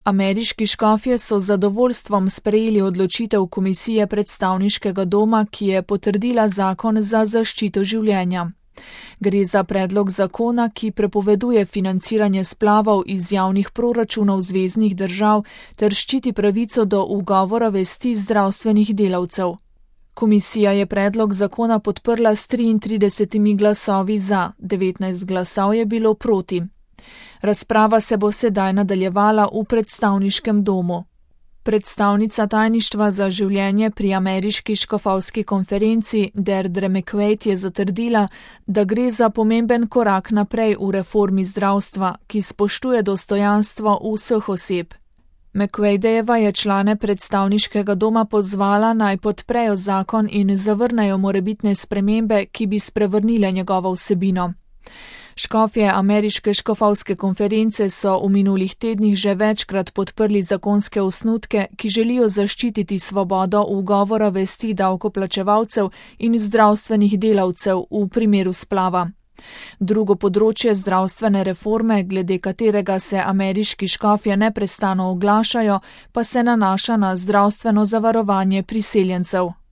Ameriški škofje so z zadovoljstvom sprejeli odločitev Komisije predstavniškega doma, ki je potrdila zakon za zaščito življenja. Gre za predlog zakona, ki prepoveduje financiranje splavov iz javnih proračunov zveznih držav ter ščiti pravico do ugovora vesti zdravstvenih delavcev. Komisija je predlog zakona podprla s 33 glasovi za, 19 glasov je bilo proti. Razprava se bo sedaj nadaljevala v predstavniškem domu. Predstavnica tajništva za življenje pri ameriški škofovski konferenci Deirdre McQuaid je zatrdila, da gre za pomemben korak naprej v reformi zdravstva, ki spoštuje dostojanstvo vseh oseb. McQuaidova je člane predstavniškega doma pozvala, naj podprejo zakon in zavrnejo morebitne spremembe, ki bi sprevrnile njegovo vsebino. Škofje ameriške škofovske konference so v minulih tednih že večkrat podprli zakonske osnutke, ki želijo zaščititi svobodo ugovora vesti davkoplačevalcev in zdravstvenih delavcev v primeru splava. Drugo področje zdravstvene reforme, glede katerega se ameriški škofje neprestano oglašajo, pa se nanaša na zdravstveno zavarovanje priseljencev.